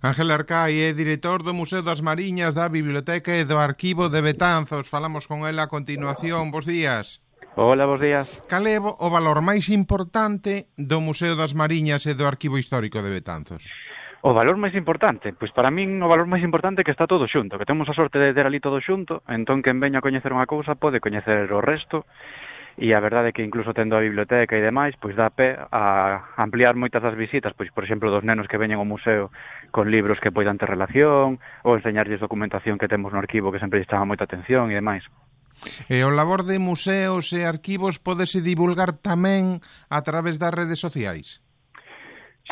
Ángel Arcai é director do Museo das Mariñas, da Biblioteca e do Arquivo de Betanzos. Falamos con ela a continuación. Bos días. Hola, bos días. Cal é o valor máis importante do Museo das Mariñas e do Arquivo Histórico de Betanzos? O valor máis importante? Pois para min o valor máis importante é que está todo xunto, que temos a sorte de ter ali todo xunto, entón quen veña a coñecer unha cousa pode coñecer o resto, e a verdade é que incluso tendo a biblioteca e demais, pois dá pé a ampliar moitas das visitas, pois por exemplo dos nenos que veñen ao museo con libros que poidan ter relación, ou enseñarlles documentación que temos no arquivo que sempre lles chama moita atención e demais. E o labor de museos e arquivos pódese divulgar tamén a través das redes sociais?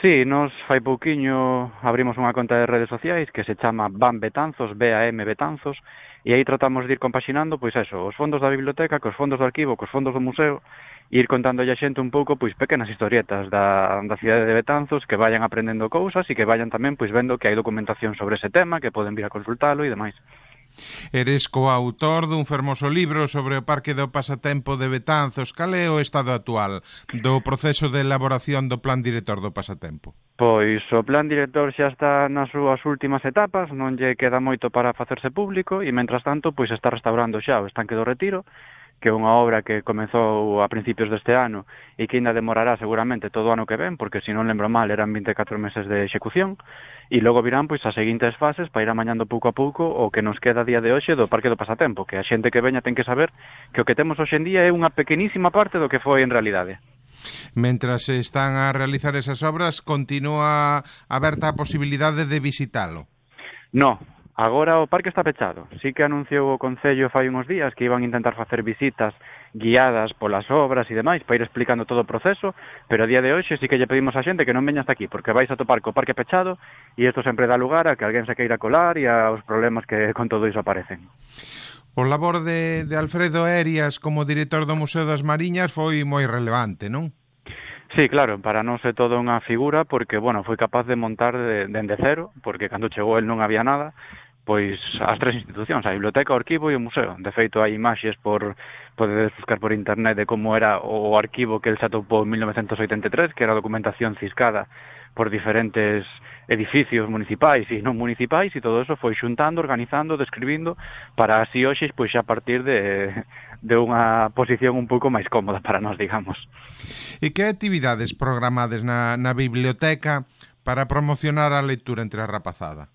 Sí, nos fai pouquiño abrimos unha conta de redes sociais que se chama BAM Betanzos, BAM Betanzos, e aí tratamos de ir compaxinando, pois eso, os fondos da biblioteca, cos fondos do arquivo, cos fondos do museo, e ir contándolle a xente un pouco, pois, pequenas historietas da cidade de Betanzos que vayan aprendendo cousas e que vayan tamén, pois, vendo que hai documentación sobre ese tema, que poden vir a consultalo e demais. Eres coautor dun fermoso libro sobre o Parque do Pasatempo de Betanzos. Cal é o estado actual do proceso de elaboración do plan director do Pasatempo? Pois o plan director xa está nas súas últimas etapas, non lle queda moito para facerse público e, mentras tanto, pois está restaurando xa o estanque do Retiro, que é unha obra que comezou a principios deste ano e que ainda demorará seguramente todo o ano que ven, porque se non lembro mal eran 24 meses de execución, e logo virán pois as seguintes fases para ir amañando pouco a pouco o que nos queda a día de hoxe do Parque do Pasatempo, que a xente que veña ten que saber que o que temos hoxe en día é unha pequenísima parte do que foi en realidade. Mentras se están a realizar esas obras, continúa aberta a posibilidade de visitalo? No. Agora o parque está pechado. Sí que anunciou o Concello fai uns días que iban a intentar facer visitas guiadas polas obras e demais para ir explicando todo o proceso, pero a día de hoxe sí que lle pedimos a xente que non veña hasta aquí, porque vais a topar co parque pechado e isto sempre dá lugar a que alguén se queira colar e aos problemas que con todo iso aparecen. O labor de Alfredo Erias como director do Museo das Mariñas foi moi relevante, non? Sí, claro, para nós é toda unha figura porque, bueno, foi capaz de montar dende cero, porque cando chegou el non había nada, pois as tres institucións, a biblioteca, o arquivo e o museo. De feito, hai imaxes podedes buscar por internet de como era o arquivo que el se atopou en 1983, que era documentación ciscada por diferentes edificios municipais e non municipais, e todo eso foi xuntando, organizando, describindo, para así hoxe, pois xa partir de unha posición un pouco máis cómoda para nós, digamos. E que actividades programades na biblioteca para promocionar a lectura entre a rapazada?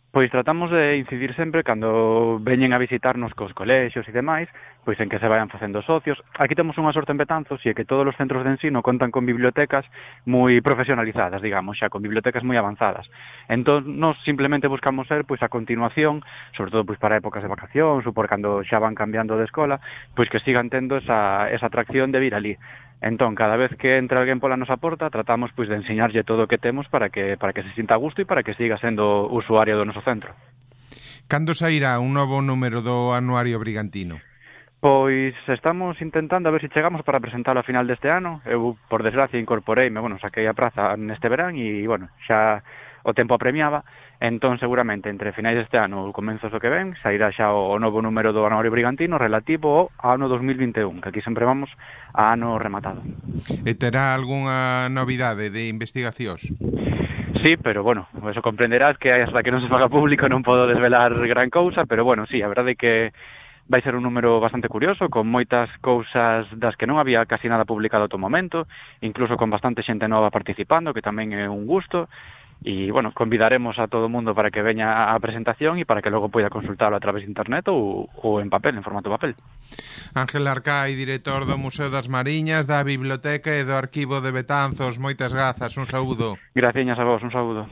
Pois tratamos de incidir sempre cando veñen a visitarnos cos colexios e demais, pois en que se vayan facendo socios. Aquí temos unha sorte en Betanzos e é que todos os centros de ensino contan con bibliotecas moi profesionalizadas, digamos, xa con bibliotecas moi avanzadas. Entón, nós simplemente buscamos ser, pois, a continuación, sobre todo pois para épocas de vacacións ou por cando xa van cambiando de escola, pois que sigan tendo esa atracción de vir ali. Entón, cada vez que entra alguén pola nosa porta, tratamos pois de enseñarlle todo o que temos para que se sinta a gusto e para que siga sendo usuario do noso centro. Cando sairá un novo número do Anuario Brigantino? Pois estamos intentando a ver se chegamos para presentalo a final deste ano. Eu, por desgracia, incorporeime, saquei a praza neste verán e, xa o tempo apremiaba. Entón, seguramente, entre finais deste ano ou comenzos do que ven, sairá xa o novo número do Anuario Brigantino relativo ao ano 2021, que aquí sempre vamos a ano rematado. E terá algunha novidade de investigacións? Sí, pero, eso comprenderás que hasta que non se faga público non podo desvelar gran cousa, pero, sí, a verdade é que vai ser un número bastante curioso, con moitas cousas das que non había casi nada publicado ata o momento, incluso con bastante xente nova participando, que tamén é un gusto. E, convidaremos a todo o mundo para que veña a presentación e para que logo poida consultalo a través de internet ou en papel, en formato papel. Ángel Arcai, director do Museo das Mariñas, da Biblioteca e do Arquivo de Betanzos. Moitas grazas, un saúdo. Graciñas a vos, un saúdo.